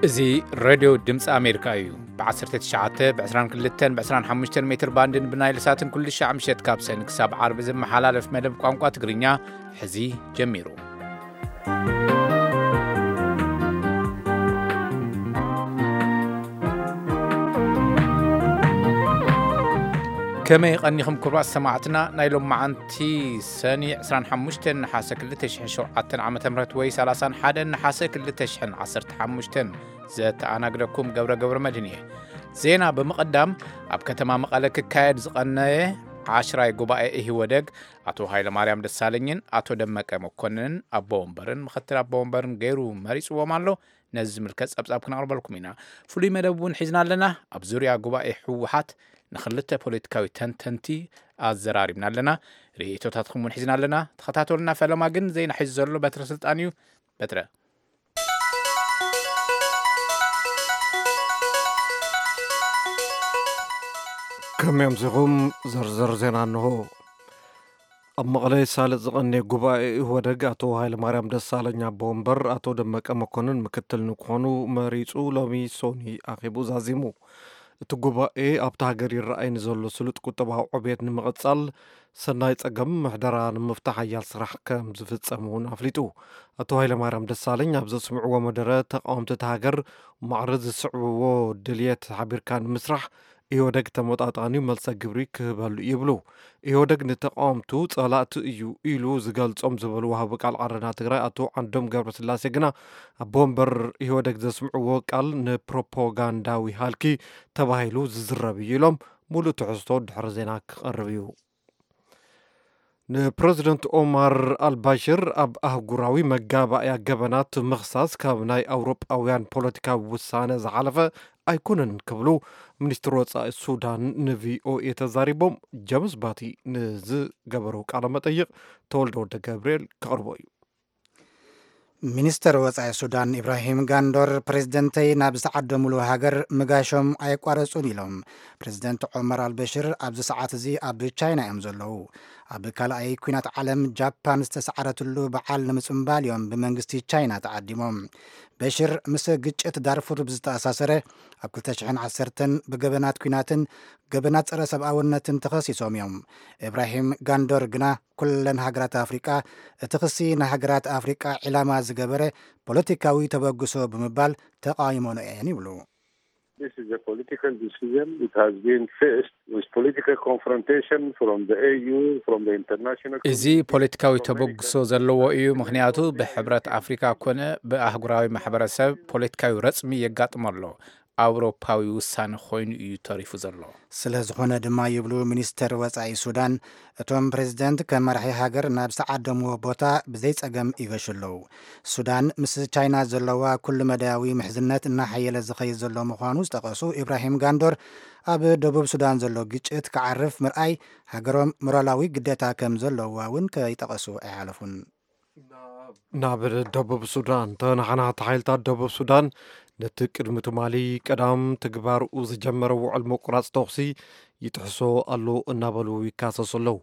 እዚ ሬድዮ ድምፂ ኣሜሪካ እዩ። ብ19፣ ብ22፣ ብ25 ሜትር ባንድን ብናይል ሳትን ኩሉ ሻዕ ምሸት ካብ ሰን ክሳብ ዓርቢ ዝመሓላለፍ መደብ ቋንቋ ትግርኛ ሕዚ ጀሚሩ። ከመይ ቀኒኹም ክቡራት ሰማዕትና? ናይ ሎመዓንቲ ሰኒ 25 ነሓሰ 2007 ዓ.ም ወይ 31 ነሓሰ 2015 ዘተኣናግደኩም ገብረ ገብረ መድህን እየ። ዜና ብምቕዳም፣ ኣብ ከተማ መቐለ ክካየድ ዝቐነየ ዓሽራይ ጉባኤ ኢህወደግ ኣቶ ሃይለማርያም ደሳለኝን ኣቶ ደመቀ መኮንንን ኣቦ ወንበርን ምኽትል ኣቦ ወንበርን ገይሩ መሪፅዎም ኣሎ። ነዚ ዝምልከት ጸብጻብ ክነቕርበልኩም ኢና። ፍሉይ መደብ እውን ሒዝና ኣለና። ኣብ ዙርያ ጉባኤ ህወሓት ንኽልተ ፖለቲካዊ ተንተንቲ ኣዘራሪብና ኣለና። ርእይቶታትኩም እውን ሒዝና ኣለና። ተኸታተሉና። ፈለማ ግን ዜና ሒዙ ዘሎ በትረ ስልጣን እዩ። በትረ። ከመይ ኣምሲኹም? ዝርዝር ዜና እንሆ። ኣብ መቐለ ይሳለጥ ዝቐነየ ጉባኤ ኢህወደግ ኣቶ ሃይለማርያም ደሳለኝ ኣቦ ወንበር፣ ኣቶ ደመቀ መኮንን ምክትል ንክኾኑ መሪጹ ሎሚ ሶኒ ኣኼቡ ዛዚሙ። እቲ ጉባኤ ኣብታ ሃገር ይረኣይ ንዘሎ ስሉጥ ቁጠባዊ ዕብየት ንምቕጻል፣ ሰናይ ጸገም ምሕደራ ንምፍታሕ ሓያል ስራሕ ከም ዝፍጸም እውን ኣፍሊጡ። ኣቶ ሃይለማርያም ደሳለኝ ኣብ ዘስምዕዎ መደረ፣ ተቃወምቲ እታ ሃገር ማዕረ ዝስዕብዎ ድልየት ሓቢርካ ንምስራሕ ኢህወደግ ተመጣጣኒ መልሰ ግብሪ ክህበሉ ይብሉ። ኢህወደግ ንተቃወምቱ ጸላእቲ እዩ ኢሉ ዝገልጾም ዝበሉ ወሃቢ ቃል ዓረና ትግራይ ኣቶ ዓንዶም ገብረስላሴ ግና፣ ኣቦ ወንበር ኢህወደግ ዘስምዕዎ ቃል ንፕሮፓጋንዳዊ ሃልኪ ተባሂሉ ዝዝረብ እዩ ኢሎም፣ ሙሉእ ትሕዝቶ ድሕሪ ዜና ክቐርብ እዩ። ንፕረዚደንት ኦማር ኣልባሽር ኣብ ኣህጉራዊ መጋባእያ ገበናት ምኽሳስ ካብ ናይ ኣውሮጳውያን ፖለቲካዊ ውሳነ ዝሓለፈ ኣይኮነን ክብሉ ሚኒስትር ወጻኢ ሱዳን ንቪኦኤ ተዛሪቦም። ጀምስ ባቲ ንዝገበሮ ቃለ መጠይቕ ተወልደ ወልደ ገብርኤል ከቕርቦ እዩ። ሚኒስተር ወጻኢ ሱዳን ኢብራሂም ጋንዶር፣ ፕሬዝደንተይ ናብ ዝተዓደሙሉ ሃገር ምጋሾም ኣየቋረጹን ኢሎም። ፕሬዝደንት ዑመር ኣልበሽር ኣብዚ ሰዓት እዚ ኣብ ቻይና እዮም ዘለዉ። ኣብ ካልኣይ ኲናት ዓለም ጃፓን ዝተሰዓረትሉ በዓል ንምጽምባል እዮም ብመንግስቲ ቻይና ተዓዲሞም። በሽር ምስ ግጭት ዳርፉር ብዝተኣሳሰረ ኣብ 2010 ብገበናት ኲናትን ገበናት ጸረ ሰብኣውነትን ተኸሲሶም እዮም። ኢብራሂም ጋንዶር ግና ኩለን ሃገራት ኣፍሪቃ እቲ ክሲ ንሃገራት ኣፍሪቃ ዒላማ ዝገበረ ፖለቲካዊ ተበግሶ ብምባል ተቃይሞኖ እየን ይብሉ። This is a political decision. It has been faced with political confrontation from the A U, from the international እዚ community, ፖለቲካዊ from many ተበግሶ ዘለዎ እዩ። ምክንያቱ ብሕብረት ኣፍሪካ ኮነ ብኣህጉራዊ ማሕበረሰብ ፖለቲካዊ ረጽሚ የጋጥሞ ኣሎ። ኣውሮፓዊ ውሳነ ኮይኑ እዩ ተሪፉ ዘሎ። ስለ ዝኾነ ድማ ይብሉ ሚኒስተር ወጻኢ ሱዳን፣ እቶም ፕሬዝደንት ከም መራሒ ሃገር ናብ ዝተዓደምዎ ቦታ ብዘይ ጸገም ይገሹ ኣለዉ። ሱዳን ምስ ቻይና ዘለዋ ኩሉ መዳያዊ ምሕዝነት እናሓየለ ዝኸይድ ዘሎ ምዃኑ ዝጠቐሱ ኢብራሂም ጋንዶር፣ ኣብ ደቡብ ሱዳን ዘሎ ግጭት ክዓርፍ ምርኣይ ሃገሮም ሞራላዊ ግዴታ ከም ዘለዋ እውን ከይጠቐሱ ኣይሓለፉን። ናብ ደቡብ ሱዳን። ተናሓናሕቲ ሓይልታት ደቡብ ሱዳን ነቲ ቅድሚ ትማሊ ቀዳም ትግባርኡ ዝጀመረ ውዕል ምቁራጽ ተኹሲ ይጥሕሶ ኣሎ እናበሉ ይካሰሱ ኣለዉ።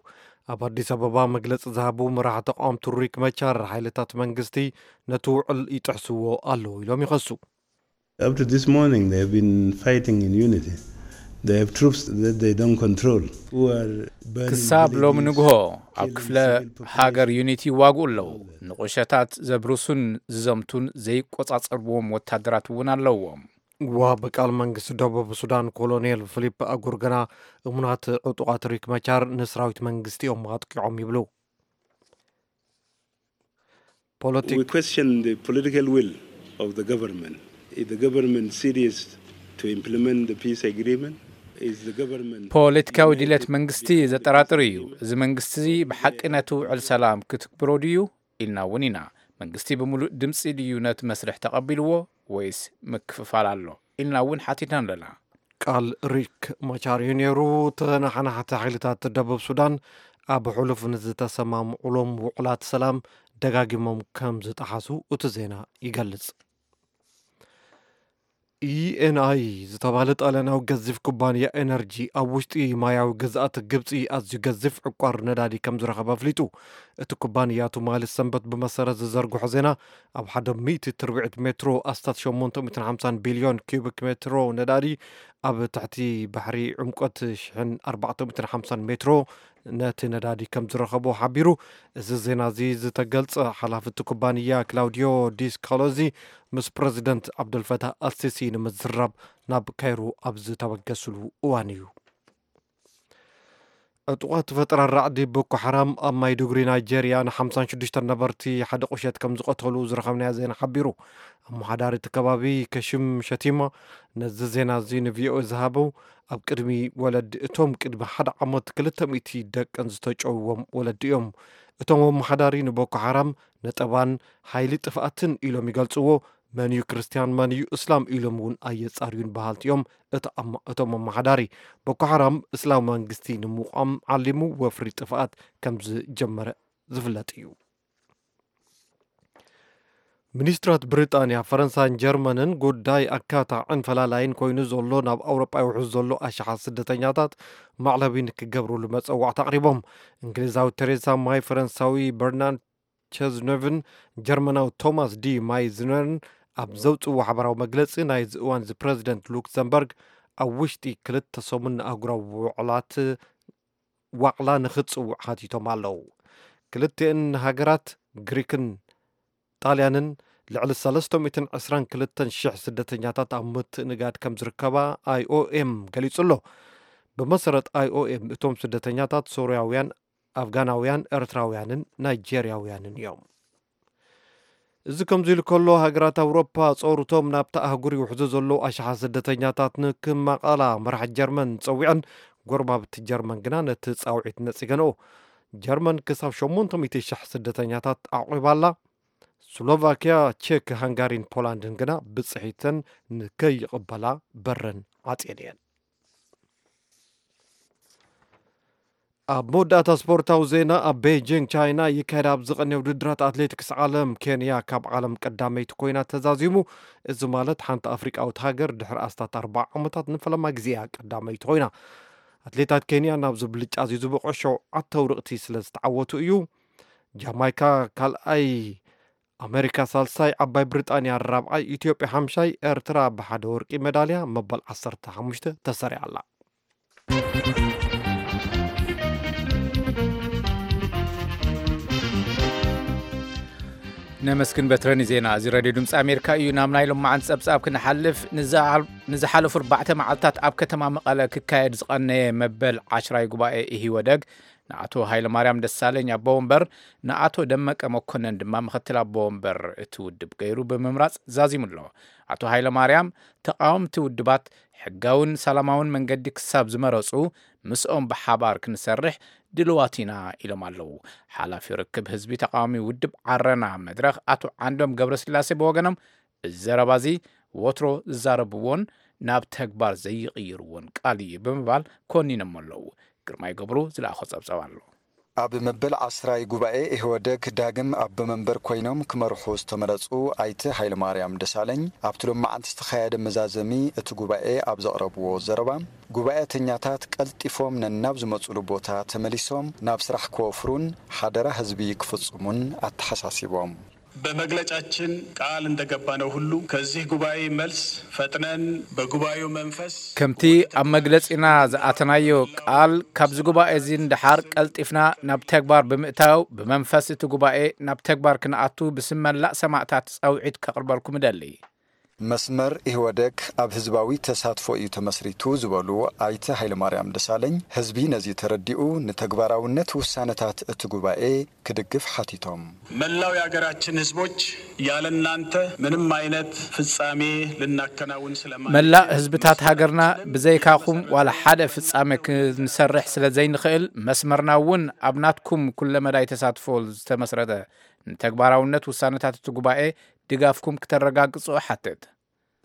ኣብ ኣዲስ ኣበባ መግለጺ ዝሃቡ መራሒ ተቃወምቲ ሪክ መቻር፣ ሓይልታት መንግስቲ ነቲ ውዕል ይጥሕስዎ ኣለዉ ኢሎም ይኸሱ። Up to this morning, they have been fighting in unity. They have troops that they don't control, who are burning ክሳብ ሎሚ villages, ንግሆ ኣብ killing ክፍለ civil population. ሃገር ዩኒቲ ይዋግኡ ኣለዉ። ንቑሸታት ዘብርሱን ዝዘምቱን ዘይቆጻጸርዎም ወታደራት እውን ኣለዎም። ዋቢ ቃል መንግስቲ ደቡብ ሱዳን ኮሎኔል ፊሊፕ ኣጉር ግና፣ እሙናት ዕጡቓት ሪክ መቻር ንሰራዊት መንግስቲ እዮም ኣጥቂዖም ይብሉ። ፖለቲክ We question the political will of the government. Is the government serious to implement the peace agreement? Is the government ፖለቲካዊ committed ድሌት to መንግስቲ the peace ዘጠራጥር እዩ። agreement? እዚ መንግስቲ እዚ ብሓቂ ነቲ ውዕል ሰላም ክትግብሮ ድዩ ኢልና እውን ኢና። መንግስቲ ብምሉእ ድምፂ ድዩ ነቲ መስርሕ ተቐቢልዎ ወይስ ምክፍፋል ኣሎ ኢልና እውን ሓቲትና ኣለና። ቃል ሪክ ማቻር እዩ ነይሩ። ተናሓናሕቲ ሓይልታት ደቡብ ሱዳን ኣብ ሕሉፍ ንዝተሰማምዑሎም ውዕላት ሰላም ደጋጊሞም ከም ዝጠሓሱ እቲ ዜና ይገልጽ። ኢኤንኣይ ዝተባህለ ጣልያናዊ ገዚፍ ኩባንያ ኤነርጂ፣ ኣብ ውሽጢ ማያዊ ግዝኣት ግብጺ ኣዝዩ ገዚፍ ዕቋር ነዳዲ ከም ዝረኸበ ኣፍሊጡ። እቲ ኩባንያ ትማሊ ሰንበት ብመሰረት ዝዘርግሖ ዜና፣ ኣብ ሓደ ሚእቲ ትርብዒት ሜትሮ ኣስታት ሸሞንተ ሚእትን ሓምሳን ቢልዮን ኪዩቢክ ሜትሮ ነዳዲ ኣብ ትሕቲ ባሕሪ ዕምቆት ሽሕን ኣርባዕተ ሚእትን ሓምሳን ሜትሮ ነቲ ነዳዲ ከም ዝረኸቦ ሓቢሩ። እዚ ዜና እዚ ዝተገልጸ ሓላፊ እቲ ኩባንያ ክላውዲዮ ዲስካሎዚ ምስ ፕረዚደንት ዓብደልፈታህ ኣልሲሲ ንምዝራብ ናብ ካይሮ ኣብ ዝተበገስሉ እዋን እዩ። ዕጡቓት ፈጠራ ራዕዲ ቦኮ ሓራም ኣብ ማይዱጉሪ ናይጄርያ ንሓምሳን ሽዱሽተን ነበርቲ ሓደ ቁሸት ከም ዝቐተሉ ዝረኸብናዮ ዜና ሓቢሩ። ኣመሓዳሪ እቲ ከባቢ ከሽም ሸቲማ ነዚ ዜና እዚ ንቪኦኤ ዝሃበው፣ ኣብ ቅድሚ ወለዲ እቶም ቅድሚ ሓደ ዓመት ክልተ ሚእቲ ደቀን ዝተጨውዎም ወለዲ እዮም። እቶም ኣመሓዳሪ ንቦኮ ሓራም ነጠባን ሓይሊ ጥፍኣትን ኢሎም ይገልጽዎ። መን እዩ ክርስትያን፣ መን እዩ እስላም ኢሎም እውን ኣየጻርዩን በሃልቲ እዮም። እቶም ኣመ-፣ እቶም ኣመሓዳሪ፣ ቦኮ ሓራም እስላም መንግስቲ ንምቋም ዓሊሙ ወፍሪ ጥፍኣት ከም ዝጀመረ ዝፍለጥ እዩ። ሚኒስትራት ብሪጣንያ፣ ፈረንሳን ጀርመንን ጉዳይ ኣካታዕን ፈላላይን ኮይኑ ዘሎ ናብ ኣውሮጳ ይውሕዝ ዘሎ ኣሽሓት ስደተኛታት ማዕለቢ ንክገብርሉ መጸዋዕታ ኣቕሪቦም። እንግሊዛዊ ቴሬዛ ማይ፣ ፈረንሳዊ በርናርድ ቸዝኖቭን ጀርመናዊ ቶማስ ዲ ማይዝነርን ኣብ ዘውፅዎ ሓበራዊ መግለፂ፣ ናይዚ እዋን እዚ ፕረዚደንት ሉክሰምበርግ ኣብ ውሽጢ ክልተ ሰሙን ንኣህጉራዊ ውዕላት ዋዕላ ንኽጽውዕ ሓቲቶም ኣለዉ። ክልቲአን ሃገራት፣ ግሪክን ጣልያንን፣ ልዕሊ ሰለስተ ሚእትን ዕስራን ክልተን ሽሕ ስደተኛታት ኣብ ምትእንጋድ ከም ዝርከባ ኣይኦኤም ገሊጹ ኣሎ። ብመሰረት ኣይኦኤም፣ እቶም ስደተኛታት ሶርያውያን፣ ኣፍጋናውያን፣ ኤርትራውያንን ናይጄርያውያንን እዮም። እዚ ከምዚ ኢሉ ከሎ፣ ሃገራት ኣውሮፓ ጸሩቶም ናብታ ኣህጉር ይውሕዙ ዘለዉ ኣሽሓት ስደተኛታት ንክማቐላ መራሒ ጀርመን ጸዊዐን፣ ጎረባብቲ ጀርመን ግና ነቲ ጻውዒት ነጺገንኦ። ጀርመን ክሳብ ሸሞንተ ሚእቲ ሽሕ ስደተኛታት ኣዕቒባ ኣላ። ስሎቫክያ፣ ቼክ፣ ሃንጋሪን ፖላንድን ግና ብጽሒተን ንከይቕበላ በረን ዓጽየን እየን። ኣብ መወዳእታ ስፖርታዊ ዜና፣ ኣብ ቤጂንግ ቻይና ይካየድ ኣብ ዝቐንየ ውድድራት ኣትሌቲክስ ዓለም፣ ኬንያ ካብ ዓለም ቀዳመይቲ ኮይና ተዛዚሙ። እዚ ማለት ሓንቲ ኣፍሪቃዊት ሃገር ድሕሪ ኣስታት ኣርባዓ ዓመታት ንፈለማ ግዜ እያ ቀዳመይቲ ኮይና። ኣትሌታት ኬንያ ናብዚ ብልጫ እዚ ዝበቕዑ ሸውዓተ ውርቕቲ ስለ ዝተዓወቱ እዩ። ጃማይካ ካልኣይ፣ ኣሜሪካ ሳልሳይ፣ ዓባይ ብሪጣንያ ራብዓይ፣ ኢትዮጵያ ሓምሻይ፣ ኤርትራ ብሓደ ወርቂ ሜዳልያ መበል ዓሰርተ ሓሙሽተ ተሰሪዓ ኣላ። ነመስግን በትረ ንዜና እዚ ሬድዮ ድምፂ ኣሜሪካ እዩ። ናብ ናይ ሎማዓንቲ ጸብጻብ ክንሓልፍ፣ ንዝሓ-፣ ንዝሓለፉ ኣርባዕተ መዓልታት ኣብ ከተማ መቐለ ክካየድ ዝቐነየ መበል ዓሽራይ ጉባኤ ኢህወደግ ንኣቶ ሃይለማርያም ደሳለኝ ኣቦ ወንበር፣ ንኣቶ ደመቀ መኮነን ድማ ምኽትል ኣቦ ወንበር እቲ ውድብ ገይሩ ብምምራጽ ዛዚሙ ኣሎ። ኣቶ ሃይለማርያም፣ ተቓወምቲ ውድባት ሕጋውን ሰላማውን መንገዲ ክሳብ ዝመረጹ፣ ምስኦም ብሓባር ክንሰርሕ ድልዋት ኢና ኢሎም ኣለዉ። ሓላፊ ርክብ ህዝቢ ተቓዋሚ ውድብ ዓረና መድረኽ ኣቶ ዓንዶም ገብረስላሴ ብወገኖም፣ እዚ ዘረባ እዚ ወትሮ ዝዛረብዎን ናብ ተግባር ዘይቕይርዎን ቃል እዩ ብምባል ኮኒኖም ኣለዉ። ግርማይ ገብሩ ዝለኣኾ ጸብጻብ ኣሎ። ኣብ መበል ዓስራይ ጉባኤ ኢህወደግ ዳግም ኣቦ መንበር ኮይኖም ክመርሑ ዝተመረጹ ኣይተ ሃይለማርያም ደሳለኝ፣ ኣብቲ ሎማዓንቲ ዝተኻየደ መዛዘሚ እቲ ጉባኤ ኣብ ዘቕረብዎ ዘረባ፣ ጉባኤተኛታት ቀልጢፎም ነናብ ዝመጹሉ ቦታ ተመሊሶም ናብ ስራሕ ክወፍሩን ሓደራ ህዝቢ ክፍጽሙን ኣተሓሳሲቦም። በመግለጫችን ቃል እንደገባነው ሁሉ ከዚህ ጉባኤ መልስ ፈጥነን በጉባኤው መንፈስ ከምቲ ኣብ መግለጺና ዝኣተናዮ ቃል፣ ካብዚ ጉባኤ እዚ ንደሓር ቀልጢፍና ናብ ተግባር ብምእታው፣ ብመንፈስ እቲ ጉባኤ ናብ ተግባር ክንኣቱ ብስም መላእ ሰማእታት ጻውዒት ከቕርበልኩም እደሊ። መስመር ኢህወደግ ኣብ ህዝባዊ ተሳትፎ እዩ ተመስሪቱ ዝበሉ ኣይተ ሃይለማርያም ደሳለኝ፣ ህዝቢ ነዚ ተረዲኡ ንተግባራውነት ውሳነታት እቲ ጉባኤ ክድግፍ ሓቲቶም። መላው የሀገራችን ህዝቦች፣ ያለ እናንተ ምንም አይነት ፍጻሜ ልናከናውን ስለማንችል፣ መላእ ህዝብታት ሃገርና ብዘይካኹም ዋላ ሓደ ፍጻሜ ክንሰርሕ ስለ ዘይንኽእል፣ መስመርና እውን ኣብ ናትኩም ኩለመዳይ ተሳትፎ ዝተመስረተ፣ ንተግባራውነት ውሳነታት እቲ ጉባኤ ድጋፍኩም ክተረጋግጹ እሓትት።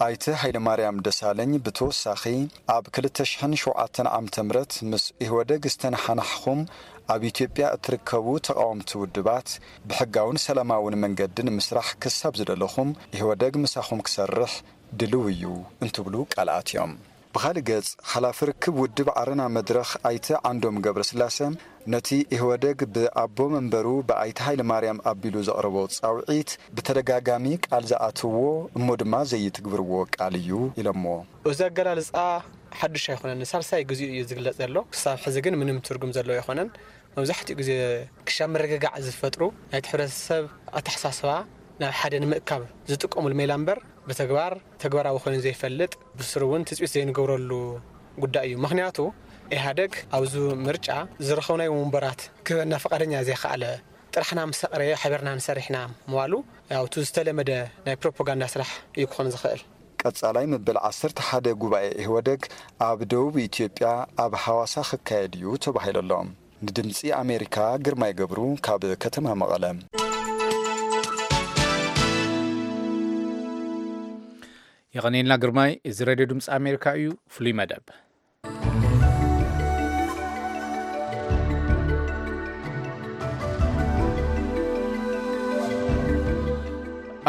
ኣይተ ሃይለማርያም ደሳለኝ ብተወሳኺ፣ ኣብ ክልተ ሽሕን ሸውዓተን ዓመተ ምህረት ምስ ኢህወደግ ዝተነሓናሕኹም ኣብ ኢትዮጵያ እትርከቡ ተቓወምቲ ውድባት፣ ብሕጋውን ሰላማውን መንገዲ ንምስራሕ ክሳብ ዝደለኹም፣ ኢህወደግ ምሳኹም ክሰርሕ ድልው እዩ እንትብሉ ቃል ኣትዮም። ብኻልእ ገጽ፣ ሓላፊ ርክብ ውድብ ዓረና መድረኽ ኣይተ ዓንዶም ገብረስላሰ፣ ነቲ ኢህወደግ ብኣቦ መንበሩ ብኣይተ ሃይለማርያም ኣቢሉ ዘቕረቦ ጻውዒት ብተደጋጋሚ ቃል ዝኣትዎ እሞ ድማ ዘይትግብርዎ ቃል እዩ ኢሎሞ። እዚ ኣገላልጻ ሓድሽ ኣይኮነን። ንሳልሳይ ግዚኡ እዩ ዝግለጽ ዘሎ። ክሳብ ሕዚ ግን ምንም ትርጉም ዘለዎ ኣይኮነን። መብዛሕትኡ ግዜ ክሻ ምርግጋዕ ዝፈጥሩ ናይቲ ሕብረተሰብ ኣተሓሳስባ ናብ ሓደ ንምእካብ ዝጥቀሙሉ ሜላ እምበር ብተግባር ተግባራዊ ኮይኑ ዘይፈልጥ፣ ብስሩ እውን ትጽቢት ዘይንገብረሉ ጉዳይ እዩ። ምኽንያቱ ኢህኣደግ ኣብዚ ምርጫ ዝረኸብናዮ ወንበራት ክህበና ፈቃደኛ ዘይከኣለ፣ ጥራሕና ምስ ኣቕረየ ሓቢርና ንሰርሕ ኢና ምባሉ፣ ያው እቲ ዝተለመደ ናይ ፕሮፓጋንዳ ስራሕ እዩ ክኾን ዝኽእል። ቀጻላይ መበል ዓሰርተ ሓደ ጉባኤ ኢህወደግ ኣብ ደቡብ ኢትዮጵያ ኣብ ሃዋሳ ክካየድ እዩ ተባሂሉ ኣሎ። ንድምጺ ኣሜሪካ ግርማይ ገብሩ ካብ ከተማ መቐለ። የቐኔልና ግርማይ። እዚ ሬድዮ ድምፂ ኣሜሪካ እዩ። ፍሉይ መደብ።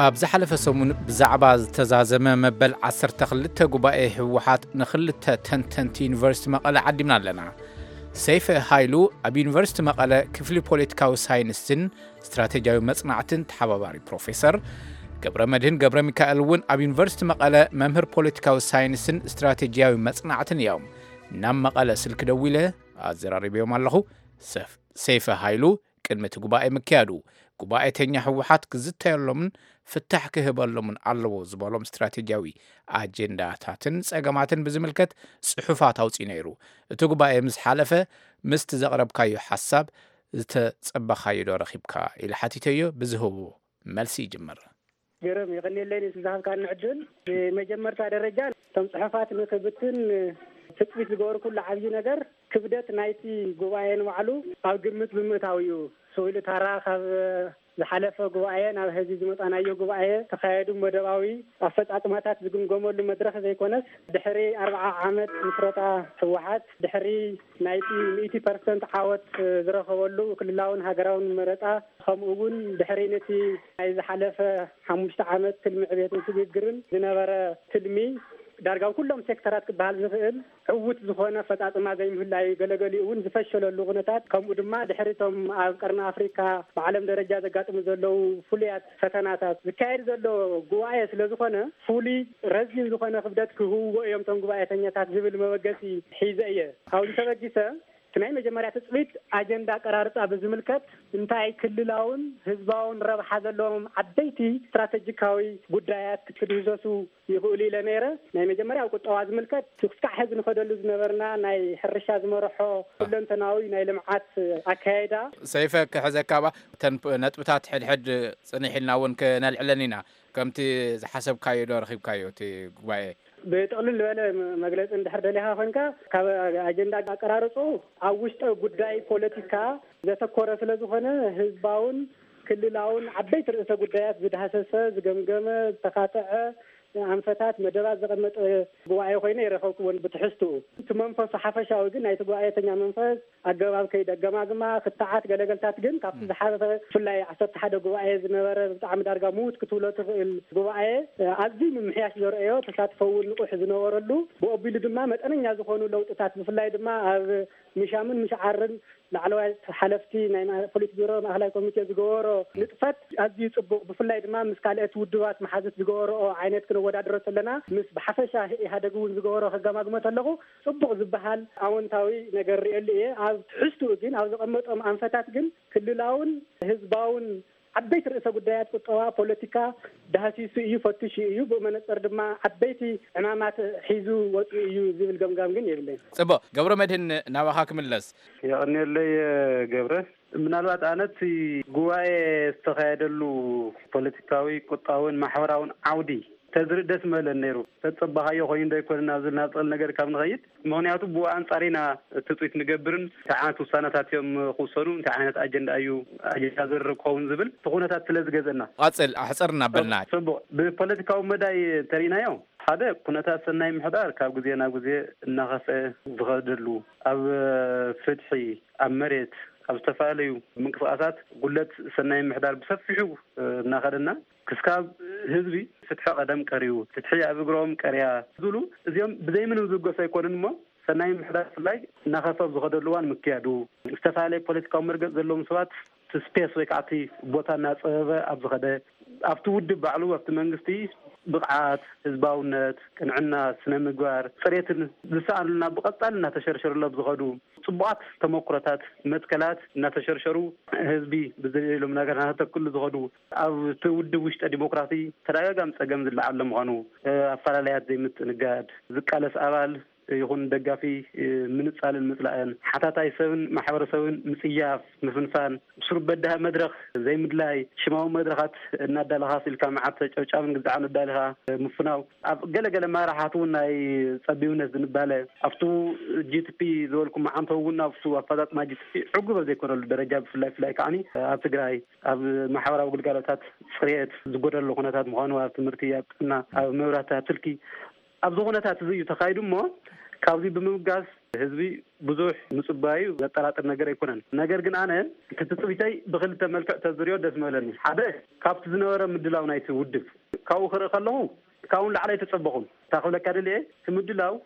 ኣብ ዝሓለፈ ሰሙን ብዛዕባ ዝተዛዘመ መበል ዓሰርተ ክልተ ጉባኤ ህወሓት ንክልተ ተንተንቲ ዩኒቨርሲቲ መቐለ ዓዲምና ኣለና። ሰይፈ ሃይሉ ኣብ ዩኒቨርሲቲ መቐለ ክፍሊ ፖለቲካዊ ሳይንስን ስትራቴጂያዊ መጽናዕትን ተሓባባሪ ፕሮፌሰር፣ ገብረ መድህን ገብረ ሚካኤል እውን ኣብ ዩኒቨርሲቲ መቐለ መምህር ፖለቲካዊ ሳይንስን ስትራቴጂያዊ መጽናዕትን እዮም። ናብ መቐለ ስልኪ ደዊለ ኣዘራሪበዮም ኣለኹ። ሰፍ-፣ ሰይፈ ሃይሉ ቅድሚ እቲ ጉባኤ ምክያዱ፣ ጉባኤተኛ ህወሓት ክዝተየሎምን ፍታሕ ክህበሎምን ኣለዎ ዝበሎም ስትራቴጂያዊ ኣጀንዳታትን ጸገማትን ብዝምልከት ጽሑፋት ኣውጺኡ ነይሩ። እቲ ጉባኤ ምስ ሓለፈ፣ ምስቲ ዘቕረብካዮ ሓሳብ ዝተጸበኻዮ ዶ ረኺብካ? ኢለ ሓቲተዮ። ብዝህቦ መልሲ ይጅምር። ገረም፣ የቐንየለይ ነቲ ዝሃብካኒ ዕድል። ብመጀመርታ ደረጃ፣ እቶም ጽሑፋት ንክብትን ትጽቢት ዝገበርኩሉ ዓብዪ ነገር፣ ክብደት ናይቲ ጉባኤ ንባዕሉ ኣብ ግምት ብምእታው እዩ። ስኢሉ ታራ ካብ ዝሓለፈ ጉባኤ ናብ ሕዚ ዝመጻናዮ ጉባኤ፣ ተኻየዱ መደባዊ ኣፈጻጽማታት ዝግምገመሉ መድረኽ ዘይኮነስ፣ ድሕሪ ኣርብዓ ዓመት ምስረታ ህወሓት፣ ድሕሪ ናይቲ ሚእቲ ፐርሰንት ዓወት ዝረኸበሉ ክልላውን ሃገራውን መረጻ፣ ከምኡ እውን ድሕሪ ነቲ ናይ ዝሓለፈ ሓሙሽተ ዓመት ትልሚ ዕቤትን ስግግርን ዝነበረ ትልሚ፣ ዳርጋ ኣብ ኩሎም ሴክተራት ክበሃል ዝኽእል ዕዉት ዝኾነ ኣፈጻጽማ ዘይምህላዩ፣ ገለገሊኡ እውን ዝፈሸለሉ ኩነታት፣ ከምኡ ድማ ድሕሪ እቶም ኣብ ቀርኒ ኣፍሪካ ብዓለም ደረጃ ዘጋጥሙ ዘለዉ ፍሉያት ፈተናታት ዝካየድ ዘሎ ጉባኤ ስለ ዝኾነ፣ ፍሉይ ረዚን ዝኾነ ክብደት ክህብዎ እዮም እቶም ጉባኤተኛታት ዝብል መበገሲ ሒዘ እየ። ካብዚ ተበጊሰ፣ እቲ ናይ መጀመርያ ትጽቢት ኣጀንዳ ኣቀራርጻ ብዝምልከት፣ እንታይ ክልላውን ህዝባውን ረብሓ ዘለዎም ዓበይቲ ስትራተጂካዊ ጉዳያት ክድህሰሱ ይኽእሉ ኢለ ነይረ። ናይ መጀመርያ ኣብ ቁጠባ ዝምልከት፣ ክሳዕ ሕዚ ንኸደሉ ዝነበርና ናይ ሕርሻ ዝመርሖ ኩለንተናዊ ናይ ልምዓት ኣካያይዳ። ሰይፈ፣ ክሕዘካ ባ፣ እተን ፕ-፣ ነጥብታት ሕድሕድ ጽንሕ ኢልና እውን ክነልዕለን ኢና። ከምቲ ዝሓሰብካዮ ዶ ረኺብካዮ እቲ ጉባኤ? ብጥቕልል ዝበለ መ-፣ መግለጺ እንድሕር ደሊኻ ኮንካ፣ ካብ ኣጀንዳ ኣቀራርጹ ኣብ ውሽጠ ጉዳይ ፖለቲካ ዘተኮረ ስለ ዝኾነ፣ ህዝባውን ክልላውን ዓበይቲ ርእሰ ጉዳያት ዝዳህሰሰ፣ ዝገምገመ፣ ዝተኻተዐ ኣንፈታት፣ መደባት ዘቐመጠ ጉባኤ ኮይነ ይረኸብኩዎን ብትሕዝትኡ። እቲ መንፈሱ ሓፈሻዊ ግን ናይቲ ጉባኤተኛ መንፈስ፣ ኣገባብ ከይዲ ኣገማግማ፣ ክትዓት ገለገልታት ግን ካብቲ ዝሓለፈ ብፍላይ ዓሰርተ ሓደ ጉባኤ ዝነበረ ብጣዕሚ ዳርጋ ምዉት ክትብሎ ትኽእል ጉባኤ፣ ኣዝዩ ምምሕያሽ ዘርእዮ፣ ተሳትፎ እውን ንቑሕ ዝነበረሉ፣ ብኦቢሉ ድማ መጠነኛ ዝኾኑ ለውጥታት ብፍላይ ድማ ኣብ ምሻምን ምሽዓርን ላዕለዋይ ሓለፍቲ ናይ ማ-፣ ፖሊት ቢሮ ማእኸላይ ኮሚቴ ዝገበሮ ንጥፈት ኣዝዩ ጽቡቕ፣ ብፍላይ ድማ ምስ ካልኦት ውድባት መሓዙት ዝገበረኦ ዓይነት ክነወዳድሮ ከለና ምስ ብሓፈሻ ኢህኣደግ እውን ዝገበሮ ከገማግሞ ከለኹ ጽቡቕ ዝበሃል ኣወንታዊ ነገር ርእየሉ እየ። ኣብ ትሕዝትኡ ግን፣ ኣብ ዘቐመጦም ኣንፈታት ግን ክልላውን ህዝባውን ዓበይቲ ርእሰ ጉዳያት ቁጠባ፣ ፖለቲካ ዳህሲሱ እዩ፣ ፈቲሹ እዩ። ብኡ መነጽር ድማ ዓበይቲ ዕማማት ሒዙ ወጺኡ እዩ ዝብል ገምጋም ግን የብለይን። ጽቡቕ። ገብረ መድህን፣ ናባኻ ክምለስ። የቐንየለይ ገብረ። ምናልባት ኣነ እቲ ጉባኤ ዝተኻየደሉ ፖለቲካዊ፣ ቁጠባውን ማሕበራውን ዓውዲ ተዝርኢ ደስ ምበለን ነይሩ። ተጸባኻዮ ኮይኑ ዶ ኣይኮነን ናብ ዝብል ናብ ጥቕል ነገር ካብ ንኸይድ፣ ምኽንያቱ ብኡ ኣንጻር ኢና ትጽቢት ንገብርን እንታይ ዓይነት ውሳነታት እዮም ክውሰኑ፣ እንታይ ዓይነት ኣጀንዳ እዩ ኣጀንዳ ዝርርብ ክኸውን ዝብል እቲ ኩነታት ስለ ዝገዘና። ቐጽል፣ ኣሕጽር እናበልና። ጽቡቕ። ብፖለቲካዊ መዳይ እንተሪእናዮ፣ ሓደ፣ ኩነታት ሰናይ ምሕዳር ካብ ግዜ ናብ ግዜ እናኸፍአ ዝኸደሉ፣ ኣብ ፍትሒ፣ ኣብ መሬት፣ ኣብ ዝተፈላለዩ ምንቅስቃሳት ጉለት ሰናይ ምሕዳር ብሰፊሑ እናኸደና፣ ክስካብ ህዝቢ ፍትሒ ቀደም ቀርዩ፣ ፍትሒ ኣብ እግሮም ቀርያ ዝብሉ፣ እዚኦም ብዘይ ምንም ዝብገሱ ኣይኮኑን እሞ፣ ሰናይ ምሕዳር ብፍላይ እናኸፍአ ኣብ ዝኸደሉ እዋን ምክያዱ፣ ዝተፈላለየ ፖለቲካዊ መርገጽ ዘለዎም ሰባት እቲ ስፔስ ወይ ከዓ እቲ ቦታ እናጸበበ ኣብ ዝኸደ፣ ኣብቲ ውድብ ባዕሉ፣ ኣብቲ መንግስቲ ብቕዓት፣ ህዝባውነት፣ ቅንዕና፣ ስነ ምግባር፣ ጽሬትን ዝሰኣኑልና ብቐጻሊ እናተሸርሸሩሉ ኣብ ዝኸዱ፣ ጽቡቓት ተመኩሮታት፣ መትከላት እናተሸርሸሩ፣ ህዝቢ ብዘየሎም ነገር እናተተክሉ ዝኸዱ፣ ኣብቲ ውድብ ውሽጠ ዲሞክራሲ ተደጋጋሚ ጸገም ዝለዓለ ምዃኑ፣ ኣፈላለያት ዘይምትእንጋድ፣ ዝቃለስ ኣባል ይኹን ደጋፊ ምንጻልን ምጽላእን፣ ሓታታይ ሰብን ማሕበረሰብን ምጽያፍ፣ ምፍንፋን፣ ብስሩ በዳሂ መድረኽ ዘይምድላይ፣ ሽማዊ መድረኻት እናዳለኻ ስኢልካ መዓት ጨብጫብን ግዛዕን ኣዳሊኻ ምፍናው፣ ኣብ ገለገለ መራሕቲ እውን ናይ ጸቢብነት ዝንባለ፣ ኣብቱ ጂ ቲ ፒ ዝበልኩ መዓንቶ እውን ኣብቱ ኣፈጻጽማ ጂ ቲ ፒ ዕጉብ ኣብ ዘይኮነሉ ደረጃ፣ ብፍላይ ፍላይ ከዓኒ ኣብ ትግራይ ኣብ ማሕበራዊ ግልጋሎታት ጽሬት ዝጎደሎ ኩነታት ምዃኑ፣ ኣብ ትምህርቲ፣ ኣብ ጥዕና፣ ኣብ መብራህቲ፣ ኣብ ስልኪ፣ ኣብዚ ኩነታት እዚ እዩ ተኻይዱ እሞ፣ ካብዚ ብምብጋስ ህዝቢ ብዙሕ ምጽባዩ ዘጠራጥር ነገር ኣይኮነን። ነገር ግን ኣነ እቲ ትጽቢተይ ብኽልተ መልክዕ ተዝሪኦ ደስ ምበለኒ። ሓደ፣ ካብቲ ዝነበረ ምድላው ናይቲ ውድብ ካብኡ ክርኢ ከለኹ፣ ካብኡ ንላዕሊ ኣይተጸበኹን። እታ ክብለካ ደልየ፣ እቲ ምድላው